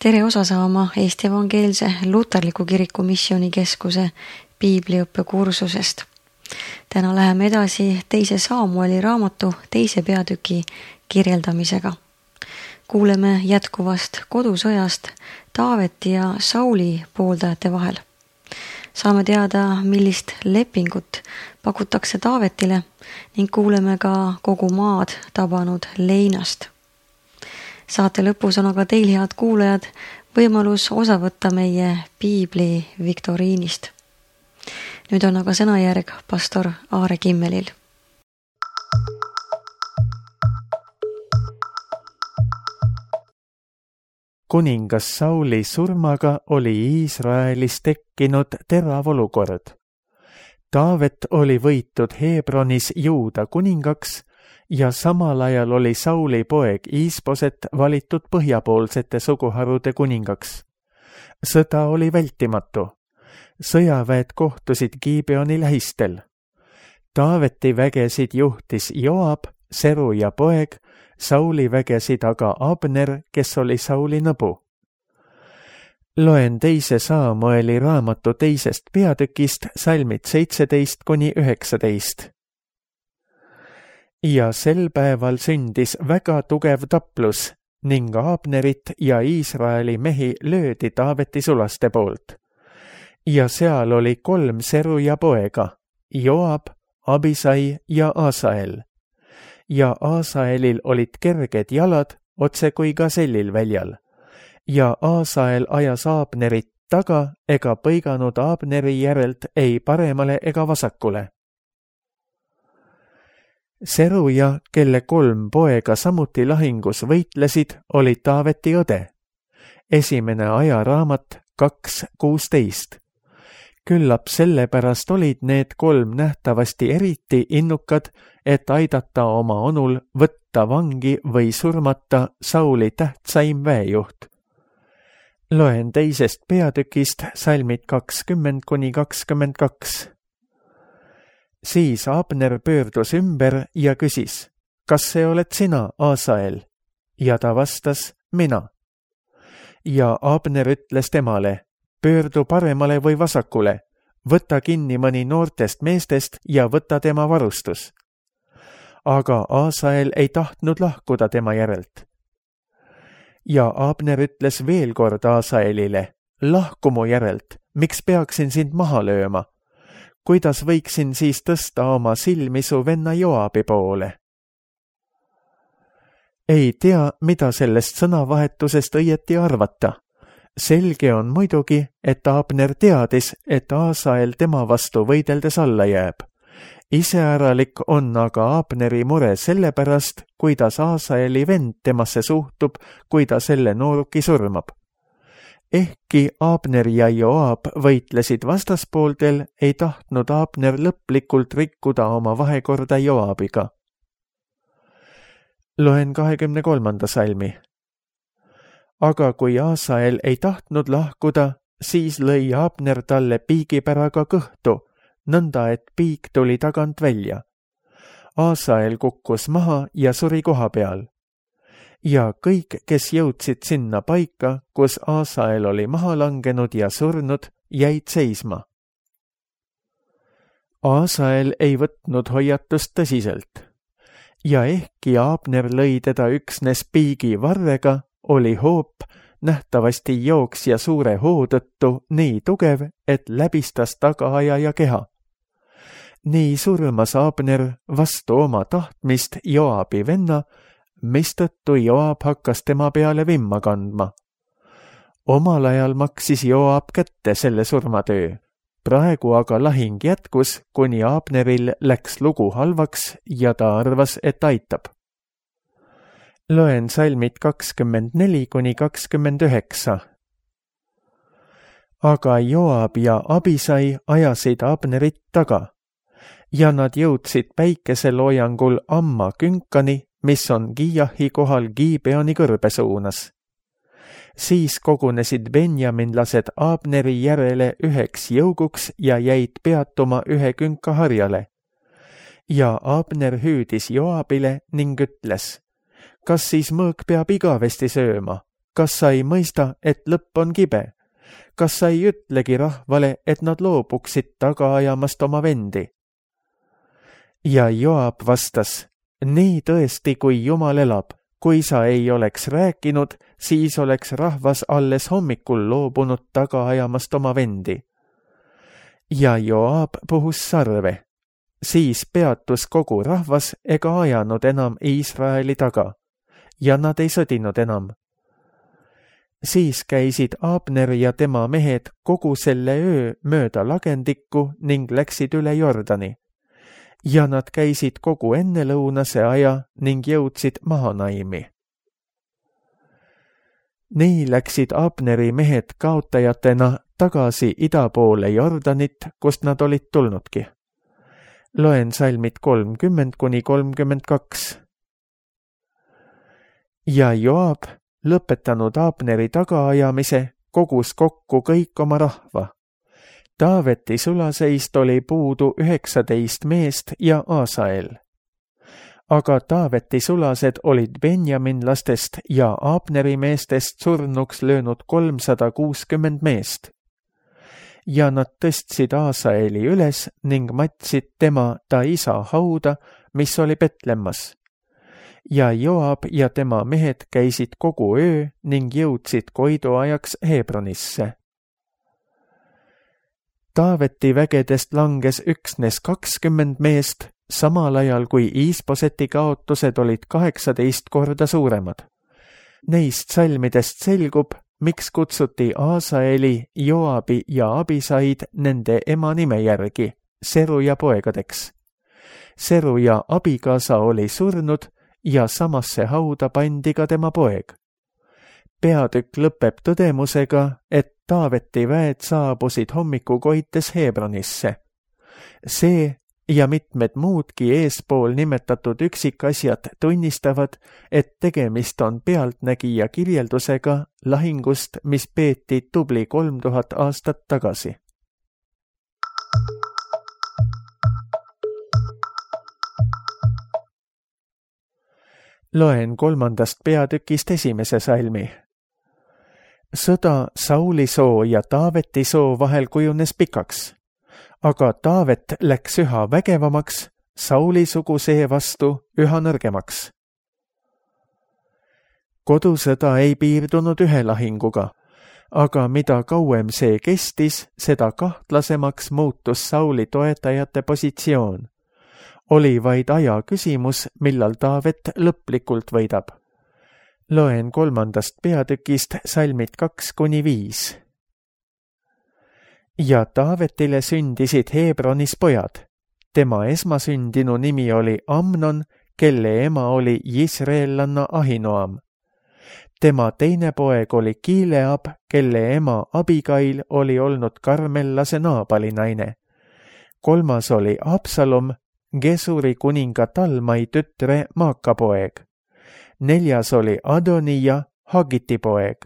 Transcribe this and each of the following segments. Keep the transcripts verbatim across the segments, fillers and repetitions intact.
tere osa saama Eesti Evangeelse Luterliku Kiriku Missioonikeskuse piibliõppe kursusest. Täna läheme edasi teise Saamueli raamatu teise peatüki kirjeldamisega. Kuuleme jätkuvast kodusõjast Taaveti ja Sauli pooldajate vahel. Saame teada, millist lepingut pakutakse Taavetile ning kuuleme ka kogu maad tabanud leinast. Saate lõpus on aga teil, head kuulajad, võimalus osa võtta meie piibli viktoriinist. Nüüd on aga sõnajärg pastor Aare Kimmelil. Kuningas Sauli surmaga oli Iisraelis tekkinud terav olukord. Taavet oli võitud Hebronis Juuda kuningaks ja samal ajal oli Sauli poeg Iisboset valitud põhjapoolsete suguharude kuningaks. Sõda oli vältimatu. Sõjaväed kohtusid Gibeoni lähistel. Taaveti vägesid juhtis Joab, Seruja poeg, Sauli vägesid aga Abner, kes oli Sauli nõbu. Loen teise Saamueli raamatu teisest peatükist salmid seitseteist kuni üheksateist. Ja sel päeval sündis väga tugev taplus ning Abnerit ja Iisraeli mehi löödi Taaveti sulaste poolt. Ja seal oli kolm Seruja poega, Joab, Abisai ja Asael. Ja Asaelil olid kerged jalad, otse kui gasellil väljal. Ja Asael ajas Abnerit taga ega põiganud Abneri järelt ei paremale ega vasakule. Seruja, kelle kolm poega samuti lahingus võitlesid, oli Taaveti õde. Esimene ajaraamat kaks kuusteist. Küllap sellepärast olid need kolm nähtavasti eriti innukad, et aidata oma onul võtta vangi või surmata Sauli tähtsaim väejuht. Loen teisest peatükist salmid kakskümmend kuni kakskümmend kaks. Siis Abner pöördus ümber ja küsis, kas see oled sina, Asael? Ja ta vastas, mina. Ja Abner ütles temale, pöördu paremale või vasakule, võta kinni mõni noortest meestest ja võta tema varustus. Aga Asael ei tahtnud lahkuda tema järelt. Ja Abner ütles veel kord Asaelile, lahku mu järelt, miks peaksin sind maha lööma? Kuidas võiksin siis tõsta oma silmi su venna Joabi poole? Ei tea, mida sellest sõnavahetusest õieti arvata. Selge on muidugi, et Abner teadis, et Asael tema vastu võideldes alla jääb. Iseäralik on aga Abneri mure sellepärast, kuidas Asaeli vend temasse suhtub, kui ta selle nooruki surmab. Ehkki Abner ja Joab võitlesid vastaspooltel, ei tahtnud Abner lõplikult rikkuda oma vahekorda Joabiga. Loen kahekümne kolmanda salmi. Aga kui Asael ei tahtnud lahkuda, siis lõi Abner talle piigipäraga kõhtu, nõnda et piik tuli tagant välja. Asael kukkus maha ja suri koha peal. Ja kõik, kes jõudsid sinna paika, kus Asael oli maha langenud ja surnud, jäid seisma. Asael ei võtnud hoiatust tõsiselt. Ja ehkki Abner lõi teda üksnes piigi varrega, oli hoop nähtavasti jooksja suure hoo tõttu nii tugev, et läbistas tagaajaja keha. Nii surmas Abner vastu oma tahtmist Joabi venna, mistõttu Joab hakkas tema peale vimma kandma. Omal ajal maksis Joab kätte selle surmatöö. Praegu aga lahing jätkus, kuni Abneril läks lugu halvaks ja ta arvas, et aitab. Loen salmid kakskümmend neli kuni kakskümmend üheksa. Aga Joab ja Abisai ajasid Abnerit taga ja nad jõudsid päikeseloojangul Amma künkani, mis on Giahi kohal Gibeoni kõrbe suunas. Siis kogunesid benjaminlased Abneri järele üheks jõuguks ja jäid peatuma ühe künka harjale. Ja Abner hüüdis Joabile ning ütles, kas siis mõõk peab igavesti sööma? kas sa ei mõista, et lõpp on kibe? Kas sa ei ütlegi rahvale, et nad loobuksid taga ajamast oma vendi? Ja Joab vastas, nii tõesti, kui Jumal elab, kui sa ei oleks rääkinud, siis oleks rahvas alles hommikul loobunud taga ajamast oma vendi. Ja Joab puhus sarve. Siis peatus kogu rahvas ega ajanud enam Iisraeli taga ja nad ei sõdinud enam. Siis käisid Abner ja tema mehed kogu selle öö mööda lagendikku ning läksid üle Jordani. Ja nad käisid kogu ennelõunase aja ning jõudsid Mahanaimi. Nii läksid Abneri mehed kaotajatena tagasi ida poole Jordanit, kust nad olid tulnudki. Loen salmid kolmkümmend kuni kolmkümmend kaks. Ja Joab, lõpetanud Abneri tagaajamise, kogus kokku kõik oma rahva. Taaveti sulaseist oli puudu üheksateist meest ja Aasael. Aga Taaveti sulased olid Benjaminlastest ja Abneri meestest surnuks löönud kolmsada kuuskümmend meest. Ja nad tõstsid Aasaeli üles ning matsid tema ta isa hauda, mis oli Betlemmas. Ja Joab ja tema mehed käisid kogu öö ning jõudsid koidu ajaks Hebronisse. Taaveti vägedest langes üksnes kakskümmend meest, samal ajal kui Iisboseti kaotused olid kaheksateist korda suuremad. Neist salmidest selgub, miks kutsuti Aasaeli, Joabi ja Abisaid nende ema nime järgi, Seruja poegadeks. Seruja abikaasa oli surnud ja samasse hauda pandi ka tema poeg. Peatükk lõpeb tõdemusega, et Taaveti väed saabusid hommiku koites Hebronisse. See ja mitmed muudki eespool nimetatud üksikasjad tunnistavad, et tegemist on pealtnägija kirjeldusega lahingust, mis peeti tubli kolm tuhat aastat tagasi. Loen kolmandast peatükist esimese salmi. Sõda Sauli soo ja Taaveti soo vahel kujunes pikaks, aga Taavet läks üha vägevamaks, Sauli sugusee vastu üha nõrgemaks. Kodusõda ei piirdunud ühe lahinguga, aga mida kauem see kestis, seda kahtlasemaks muutus Sauli toetajate positsioon. Oli vaid aja küsimus, millal Taavet lõplikult võidab. Loen kolmandast peatükist salmid kaks kuni viis. Ja Taavetile sündisid Hebronis pojad. Tema esmasündinu nimi oli Amnon, kelle ema oli jisreellanna Ahinoam. Tema teine poeg oli Kileab, kelle ema Abigail oli olnud karmellase Naabali naine. Kolmas oli Absalom, Gesuri kuninga Talmai tütre Maaka poeg. Neljas oli Adonija, Hagiti poeg.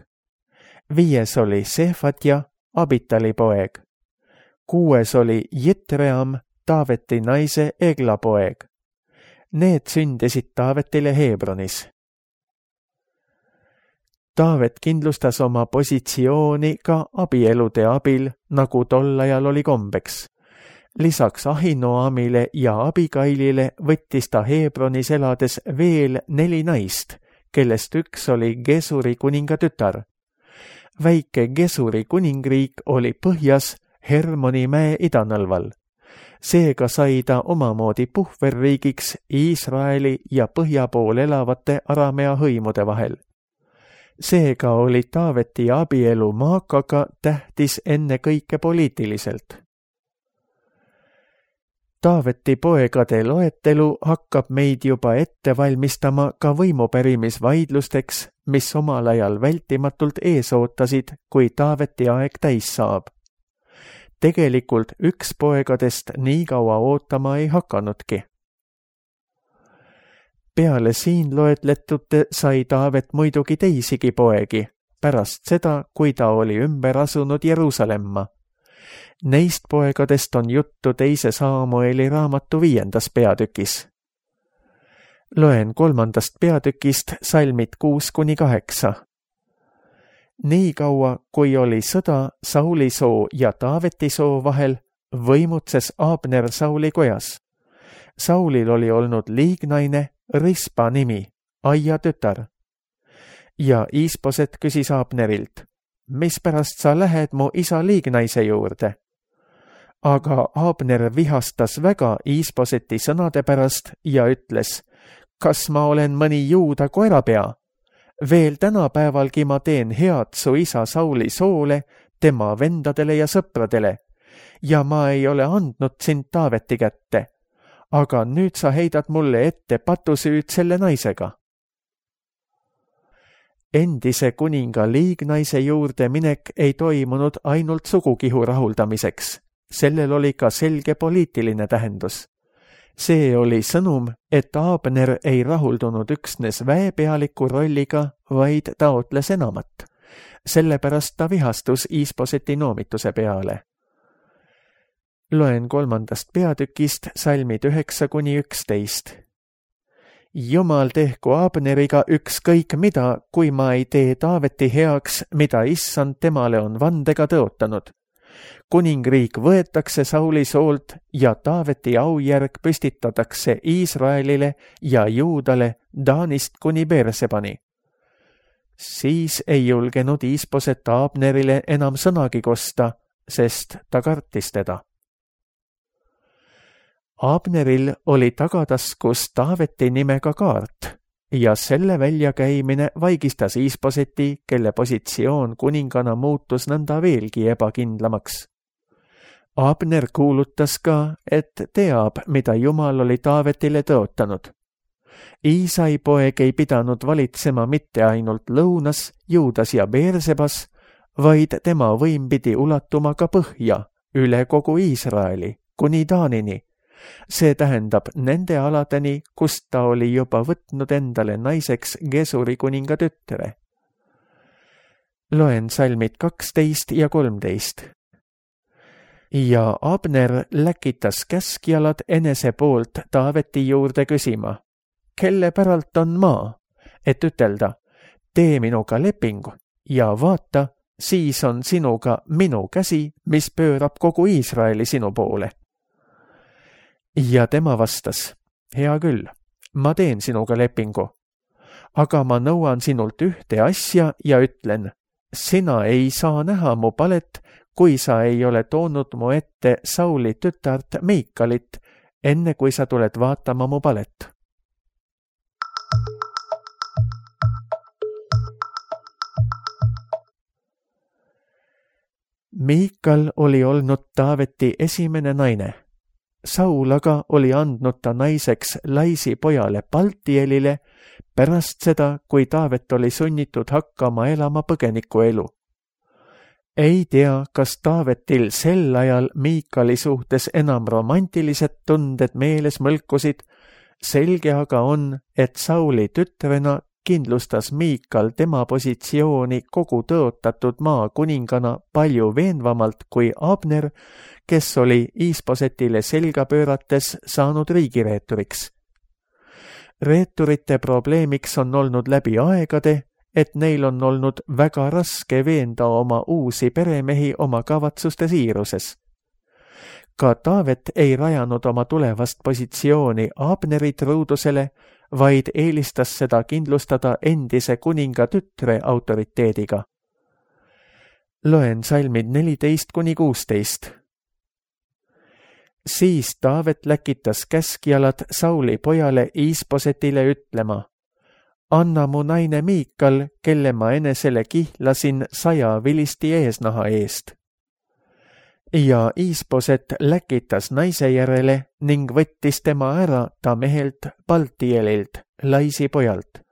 Viies oli Sefatja, Abitali poeg. Kuues oli Jitream, Taaveti naise Egla poeg. Need sündisid Taavetile Hebronis. Taavet kindlustas oma positsiooni ka abielude abil, nagu tol ajal oli kombeks. Lisaks Ahinoamile ja Abigailile võttis ta Hebronis elades veel neli naist, kellest üks oli Gesuri kuninga tütar. Väike Gesuri kuningriik oli põhjas Hermoni mäe idanõlval. Seega sai ta omamoodi puhverriigiks Iisraeli ja põhja pool elavate Aramea hõimude vahel. Seega oli Taaveti abielu Maakaga tähtis enne kõike poliitiliselt. Taaveti poegade loetelu hakkab meid juba ette valmistama ka võimupärimisvaidlusteks, mis omal ajal vältimatult ees ootasid, kui Taaveti aeg täis saab. Tegelikult üks poegadest nii kaua ootama ei hakanudki. Peale siin loetletute sai Taavet muidugi teisigi poegi, pärast seda, kui ta oli ümber asunud Jeruusalemma. Neist poegadest on juttu teise Saamueli raamatu viiendas peatükis. Loen kolmandast peatükist salmid kuus kuni kaheksa. nii kaua, kui oli sõda Sauli soo ja Taaveti soo vahel, võimutses Abner Sauli kojas. Saulil oli olnud liignaine Rispa nimi, Aia tütar. Ja Iisposet küsis Abnerilt, mispärast sa lähed mu isa liignaise juurde? Aga Abner vihastas väga Iisposeti sõnade pärast ja ütles, kas ma olen mõni juuda koerapea? Veel tänapäevalgi ma teen head su isa Sauli soole, tema vendadele ja sõpradele, ja ma ei ole andnud sind Taaveti kätte, aga nüüd sa heidad mulle ette patusüüd selle naisega. Endise kuninga liignaise juurde minek ei toimunud ainult sugukihu rahuldamiseks, sellel oli ka selge poliitiline tähendus. See oli sõnum, et Abner ei rahuldunud üksnes väepealiku rolliga, vaid taotles enamat. Sellepärast ta vihastus Iisposeti noomituse peale. Loen kolmandast peatükist salmid üheksa kuni üksteist. Jumal tehku Abneriga ükskõik mida, kui ma ei tee Taaveti heaks, mida issand temale on vandega tõotanud. Kuningriik võetakse Sauli soolt ja Taaveti aujärg püstitatakse Iisraelile ja Juudale Daanist kuni Beersebani. Siis ei julgenud Iisposet Abnerile enam sõnagi kosta, sest ta kartis teda. Abneril oli tagataskus Taaveti nimega kaart ja selle väljakäimine vaigistas Iisposeti, kelle positsioon kuningana muutus nõnda veelgi ebakindlamaks. Abner kuulutas ka, et teab, mida Jumal oli Taavetile tõotanud. Iisai poeg ei pidanud valitsema mitte ainult lõunas, Juudas ja Beersebas, vaid tema võim pidi ulatuma ka põhja, üle kogu Iisraeli, kuni Daanini. See tähendab nende aladeni, kust ta oli juba võtnud endale naiseks Gesuri kuninga tütre. Loen salmid kaksteist ja kolmteist. Ja Abner läkitas käskjalad enese poolt Taaveti juurde küsima, kelle päralt on maa, et ütelda, tee minuga lepingu ja vaata, siis on sinuga minu käsi, mis pöörab kogu Iisraeli sinu poole. Ja tema vastas, hea küll, ma teen sinuga lepingu, aga ma nõuan sinult ühte asja ja ütlen, sina ei saa näha mu palet, kui sa ei ole toonud mu ette Sauli tütart Meikalit, enne kui sa tuled vaatama mu palet. Meikal oli olnud Taaveti esimene naine. Saul aga oli andnud ta naiseks Laisi pojale Paltielile pärast seda, kui Taavet oli sunnitud hakkama elama põgeniku elu. Ei tea, kas Taavetil sel ajal Meikali suhtes enam romantilised tunded meeles mõlkusid, selge aga on, et Sauli tütrena kindlustas Meikal tema positsiooni kogu tõotatud maa kuningana palju veenvamalt kui Abner, kes oli Iisposetile selga pöörates saanud riigireeturiks. Reeturite probleemiks on olnud läbi aegade, et neil on olnud väga raske veenda oma uusi peremehi oma kavatsuste siiruses. Ka Taavet ei rajanud oma tulevast positsiooni Abneri truudusele, vaid eelistas seda kindlustada endise kuninga tütre autoriteediga. Loen salmid neliteist kuni kuusteist. Siis Taavet läkitas käskjalad Sauli pojale Iisposetile ütlema, anna mu naine Meikal, kelle ma enesele kihlasin saja vilisti eesnaha eest. Ja Iisposet läkitas naise järele ning võttis tema ära ta mehelt Paltielilt, Laisi pojalt.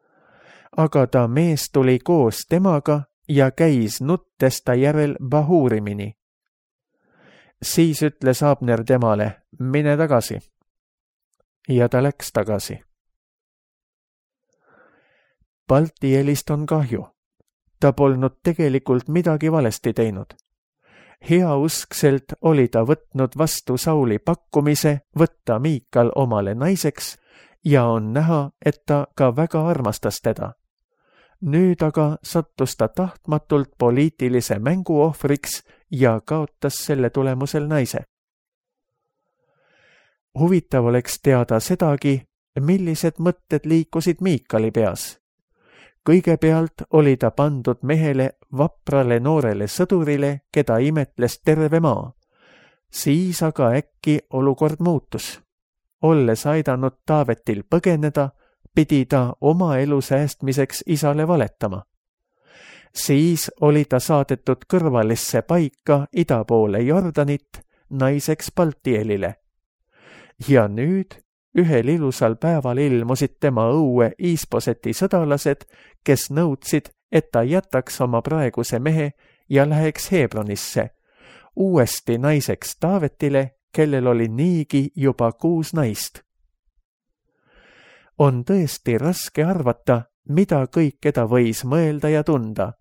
Aga ta mees tuli koos temaga ja käis nuttes ta järel Bahurimini. Siis ütles Abner temale, mine tagasi. Ja ta läks tagasi. Paltielist on kahju. Ta polnud tegelikult midagi valesti teinud. Heauskselt oli ta võtnud vastu Sauli pakkumise võtta Meikal omale naiseks ja on näha, et ta ka väga armastas teda. nüüd aga sattus ta tahtmatult poliitilise mängu ohvriks ja kaotas selle tulemusel naise. Huvitav oleks teada sedagi, millised mõtted liikusid Miikali peas. Kõigepealt oli ta pandud mehele vaprale noorele sõdurile, keda imetles terve maa. Siis aga äkki olukord muutus. Olles aidanud Taavetil põgeneda, pidi ta oma elu säästmiseks isale valetama. Siis oli ta saadetud kõrvalisse paika ida poole Jordanit naiseks Paltielile. Ja nüüd ühel ilusal päeval ilmusid tema õue Iisposeti sõdalased, kes nõudsid, et ta jätaks oma praeguse mehe ja läheks Hebronisse, uuesti naiseks Taavetile, kellel oli niigi juba kuus naist. On tõesti raske arvata, mida kõike ta võis mõelda ja tunda,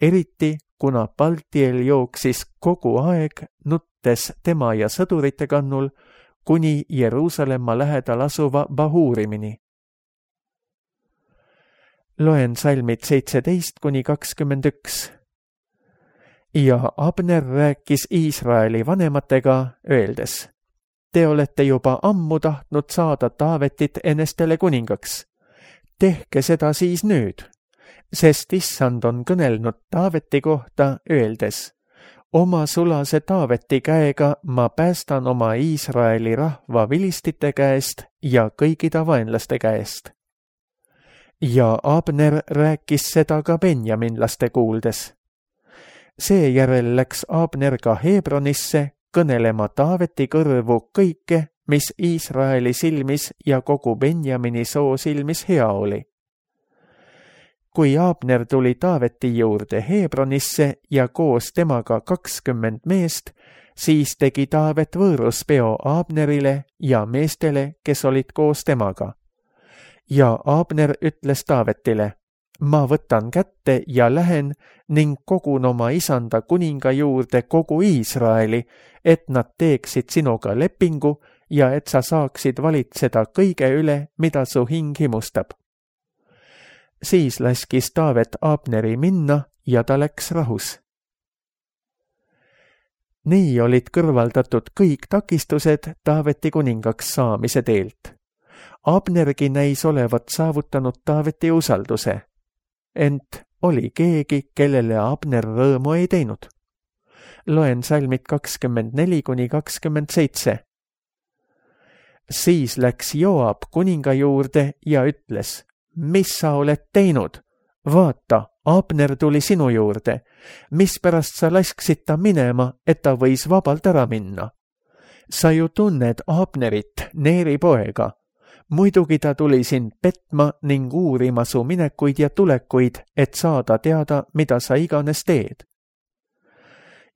eriti kuna Paltiel jooksis kogu aeg nuttes tema ja sõdurite kannul kuni Jeruusalemma lähedal asuva Bahurimini. Loen salmid seitseteist kuni kakskümmend üks. Ja Abner rääkis Iisraeli vanematega, öeldes: Te olete juba ammu tahtnud saada Taavetit enestele kuningaks. Tehke seda siis nüüd, sest issand on kõnelnud Taaveti kohta, öeldes: Oma sulase Taaveti käega ma päästan oma Iisraeli rahva vilistite käest ja kõigi ta vaenlaste käest. Ja Abner rääkis seda ka benjaminlaste kuuldes. Seejärel läks Abner ka Hebronisse kõnelema Taaveti kõrvu kõike, mis Iisraeli silmis ja kogu Benjamini soo silmis hea oli. Kui Abner tuli Taaveti juurde Hebronisse ja koos temaga kakskümmend meest, siis tegi Taavet võõruspeo Abnerile ja meestele, kes olid koos temaga. Ja Abner ütles Taavetile: Ma võtan kätte ja lähen ning kogun oma isanda kuninga juurde kogu Iisraeli, et nad teeksid sinuga lepingu ja et sa saaksid valitseda kõige üle, mida su hing himustab. Siis laskis Taavet Abneri minna ja ta läks rahus. Nii olid kõrvaldatud kõik takistused Taaveti kuningaks saamise teelt. Abnergi näis olevat saavutanud Taaveti usalduse, ent oli keegi, kellele Abner rõõmu ei teinud. Loen salmid kakskümmend neli kuni kakskümmend seitse. Siis läks Joab kuninga juurde ja ütles: Mis sa oled teinud? Vaata, Abner tuli sinu juurde. Mispärast sa lasksid ta minema, et ta võis vabalt ära minna? Sa ju tunned Abnerit, Neeri poega. Muidugi ta tuli sind petma ning uurima su minekuid ja tulekuid, et saada teada, mida sa iganes teed.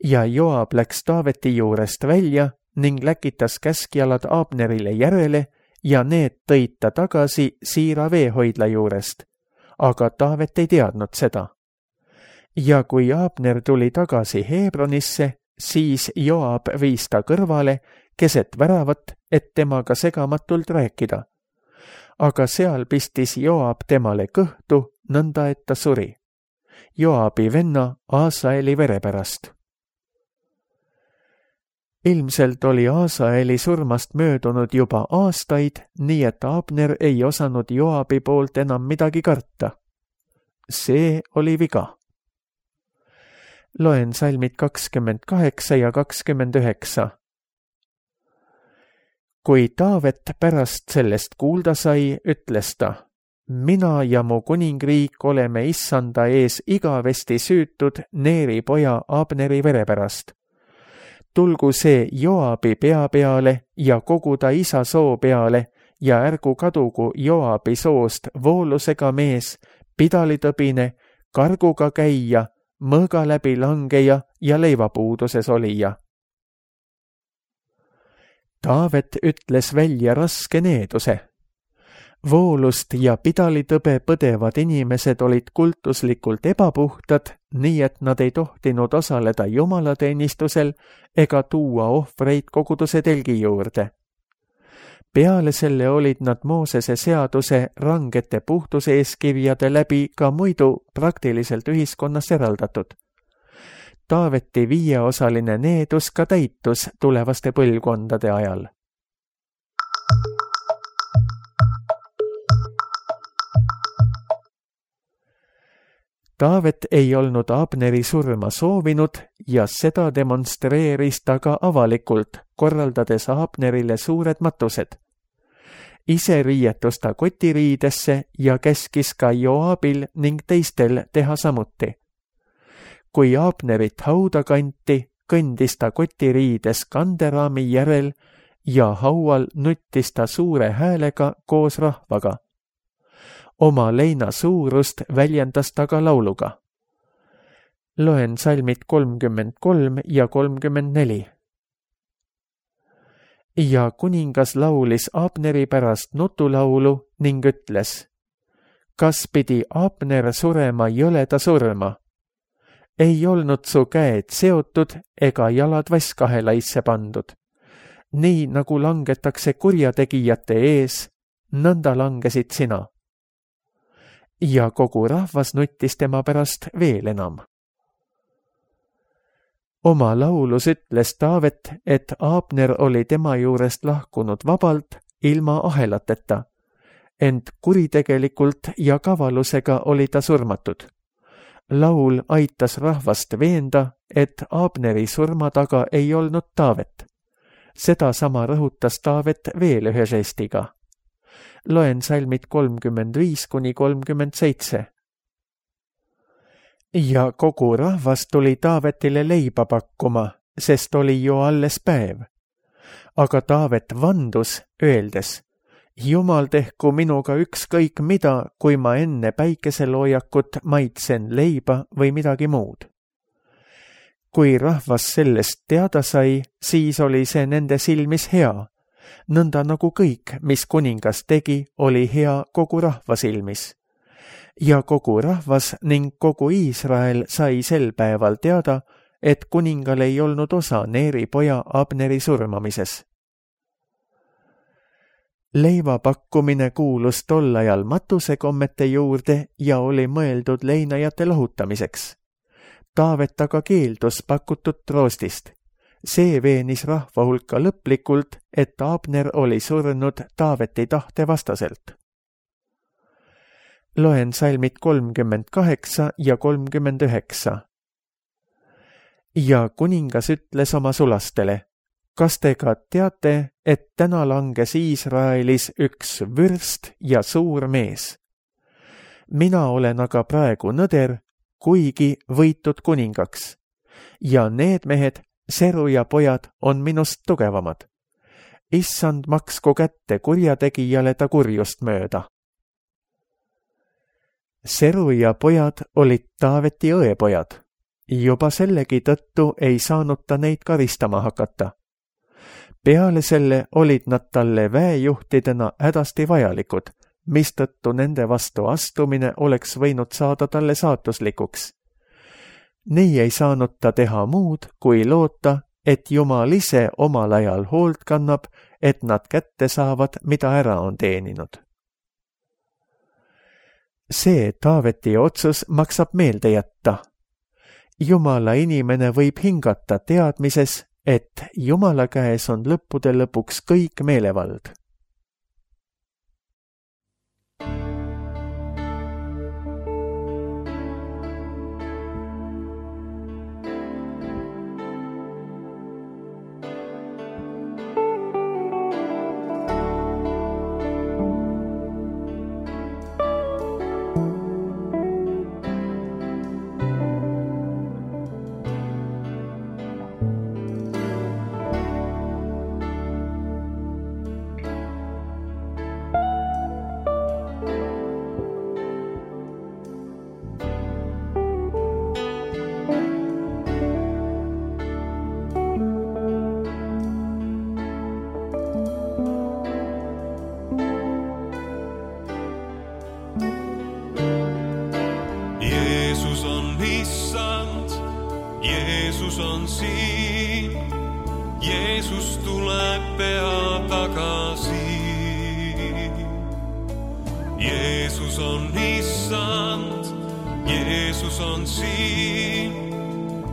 Ja Joab läks Taaveti juurest välja ning läkitas käskjalad Abnerile järele ja need tõid ta tagasi Siira veehoidla juurest, aga Taavet ei teadnud seda. Ja kui Abner tuli tagasi Hebronisse, siis Joab viis ta kõrvale keset väravat, et temaga segamatult rääkida. Aga seal pistis Joab temale kõhtu, nõnda et ta suri. Joabi venna Aasaeli vere pärast. Ilmselt oli Aasaeli surmast möödunud juba aastaid, nii et Abner ei osanud Joabi poolt enam midagi karta. See oli viga. Loen salmid kakskümmend kaheksa ja kakskümmend üheksa. Kui Taavet pärast sellest kuulda sai, ütles ta: Mina ja mu kuningriik oleme issanda ees igavesti süütud Neeri poja Abneri vere pärast. Tulgu see Joabi pea peale ja kogu ta isa soo peale ja ärgu kadugu Joabi soost voolusega mees, pidalitõbine, karguga käija, mõõga läbi langeja ja leivapuuduses olija. Taavet ütles välja raske needuse. Voolust ja pidalitõbe põdevad inimesed olid kultuslikult ebapuhtad, nii et nad ei tohtinud osaleda jumalateenistusel ega tuua ohvreid koguduse telgi juurde. Peale selle olid nad Moosese seaduse rangete puhtuseeskirjade läbi ka muidu praktiliselt ühiskonnas eraldatud. Taaveti viieosaline needus ka täitus tulevaste põlvkondade ajal. Taavet ei olnud Abneri surma soovinud ja seda demonstreeris ta ka avalikult, korraldades Abnerile suured matused. Ise riietus ta kotiriidesse ja käskis ka Joabil ning teistel teha samuti. Kui Abnerit hauda kanti, kõndis ta kotiriides kanderaami järel ja haual nuttis ta suure häälega koos rahvaga. Oma leina suurust väljendas ta ka lauluga. Loen salmid kolmkümmend kolm ja kolmkümmend neli. Ja kuningas laulis Abneri pärast nutulaulu ning ütles: kas pidi Abner surema jõleda surma? Ei olnud su käed seotud ega jalad vasskahelaisse pandud. Nii nagu langetakse kurjategijate ees, nõnda langesid sina. Ja kogu rahvas nuttis tema pärast veel enam. Oma laulus ütles Taavet, et Abner oli tema juurest lahkunud vabalt ilma ahelateta, ent kuritegelikult ja kavalusega oli ta surmatud. Laul aitas rahvast veenda, et Abneri surma taga ei olnud Taavet. Seda sama rõhutas Taavet veel ühe žestiga. Loen salmid kolmkümmend viis kuni kolmkümmend seitse. Ja kogu rahvas tuli Taavetile leiba pakkuma, sest oli ju alles päev. Aga Taavet vandus, öeldes: Jumal tehku minuga ükskõik mida, kui ma enne päikeseloojakut maitsen leiba või midagi muud. Kui rahvas sellest teada sai, siis oli see nende silmis hea. Nõnda nagu kõik, mis kuningas tegi, oli hea kogu rahva silmis. Ja kogu rahvas ning kogu Iisrael sai sel päeval teada, et kuningal ei olnud osa Neeri poja Abneri surmamises. Leiva pakkumine kuulus tol ajal matusekommete juurde ja oli mõeldud leinajate lohutamiseks. Taavet aga keeldus pakutud troostist. See veenis rahva hulka lõplikult, et Abner oli surnud Taaveti tahte vastaselt. Loen salmid kolmkümmend kaheksa ja kolmkümmend üheksa. Ja kuningas ütles oma sulastele: kas te ka teate, et täna langes Iisraelis üks vürst ja suur mees? Mina olen aga praegu nõder, kuigi võitud kuningaks. Ja need mehed, Seru ja pojad, on minust tugevamad. Issand maksku kätte kurjategijale ta kurjust mööda. Seru ja pojad olid Taaveti õepojad. Juba sellegi tõttu ei saanud ta neid karistama hakata. Peale selle olid nad talle väejuhtidena hädasti vajalikud, mistõttu nende vastu astumine oleks võinud saada talle saatuslikuks. Nii ei saanud ta teha muud, kui loota, et Jumal ise omal ajal hoolt kannab, et nad kätte saavad, mida ära on teeninud. See Taaveti otsus maksab meelde jätta. Jumala inimene võib hingata teadmises, et Jumala käes on lõppude lõpuks kõik meelevald. Jeesus on siin, Jeesus tuleb pea tagasi. Jeesus on issand, Jeesus on siin,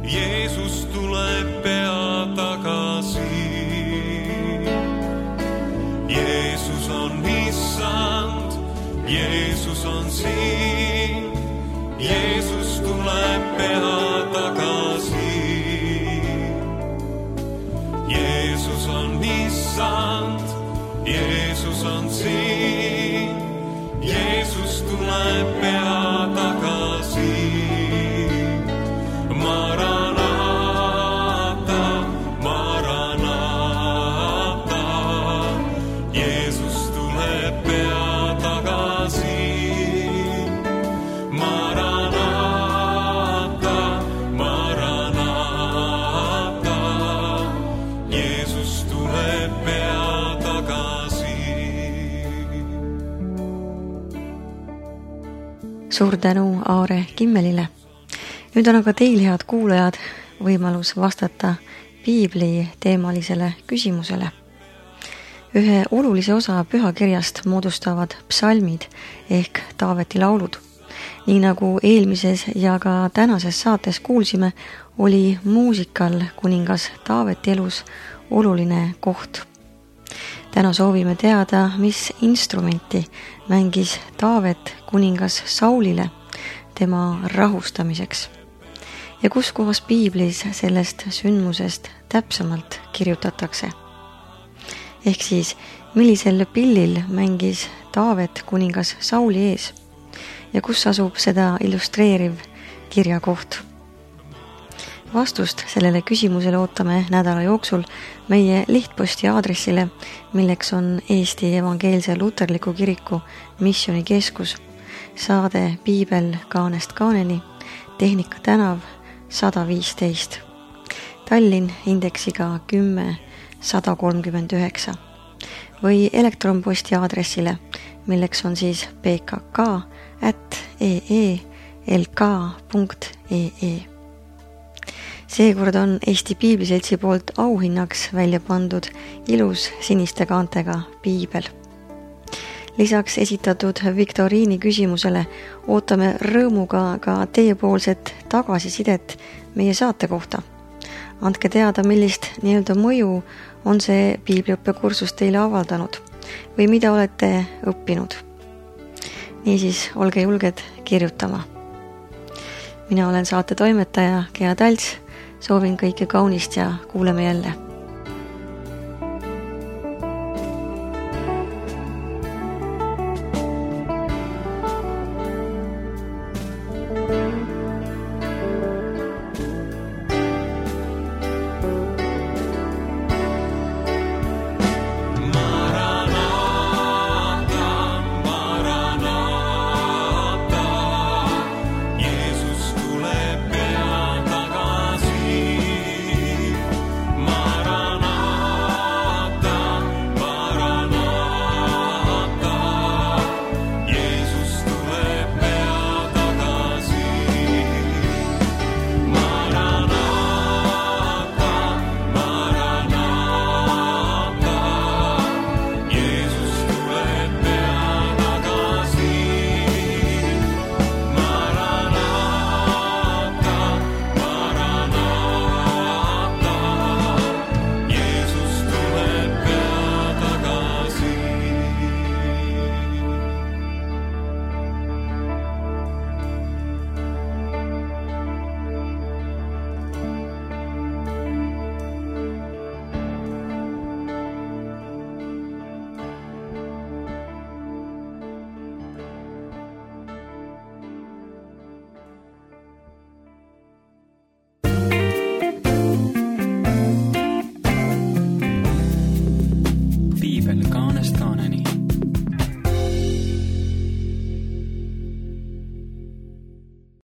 Jeesus tuleb pea tagasi. Jeesus on issand, Jeesus on siin, Jeesus tuleb pea tagasi. Jeesus on issand, Jeesus on siin, Jeesus tuleb pea tagasi. Maranata, Maranata, Jeesus tuleb pea tagasi. Maranata, Maranata, Jeesus tuleb pea tagasi. Suur tänu Aare Kimmelile. Nüüd on aga teil, head kuulajad, võimalus vastata piibli teemalisele küsimusele. Ühe olulise osa pühakirjast moodustavad psalmid ehk Taaveti laulud. Nii nagu eelmises ja ka tänases saates kuulsime, oli muusikal kuningas Taaveti elus oluline koht. Täna soovime teada, mis instrumenti mängis Taavet kuningas Saulile tema rahustamiseks. Ja kus kohas piiblis sellest sündmusest täpsemalt kirjutatakse. Ehk siis, millisel pillil mängis Taavet kuningas Sauli ees ja kus asub seda illustreeriv kirjakoht. Vastust sellele küsimusele ootame nädala jooksul meie lihtposti aadressile, milleks on Eesti Evangeelse Luterliku Kiriku Missioonikeskus, saade Piibel kaanest kaaneni, Tehnika tänav sada viisteist, Tallinn indeksiga kümme sada kolmkümmend üheksa või elektronposti aadressile, milleks on siis pkk at e e l k punkt e e. Seekord on Eesti Piibliseltsi poolt auhinnaks välja pandud ilus siniste kaantega piibel. Lisaks esitatud viktoriini küsimusele ootame rõõmuga ka teiepoolset tagasisidet meie saate kohta. Andke teada, millist nii-öelda mõju on see piibliõppekursus teile avaldanud või mida olete õppinud. Niisiis, olge julged kirjutama. Mina olen saate toimetaja Gea Talts, soovin kõike kaunist ja kuuleme jälle.